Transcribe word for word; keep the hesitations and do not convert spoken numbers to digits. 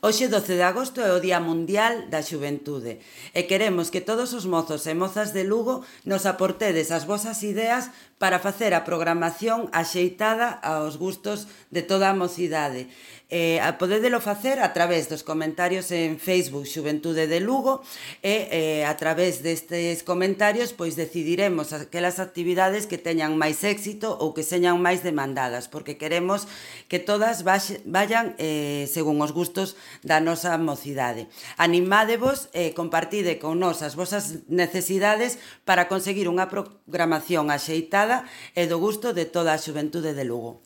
Hoxe, doce de agosto, é o Día Mundial da Xuventude e queremos que todos os mozos e mozas de Lugo nos aportedes as vosas ideas para facer a programación axeitada aos gustos de toda a mocidade. Eh, podédelo facer a través dos comentarios en Facebook Xuventude de Lugo e eh, a través destes comentarios pois decidiremos aquelas actividades que teñan máis éxito ou que señan máis demandadas, porque queremos que todas vayan eh, según os gustos da nosa mocidade. Animádevos e eh, compartide con nós as vosas necesidades para conseguir unha programación axeitada e do gusto de toda a xuventude de Lugo.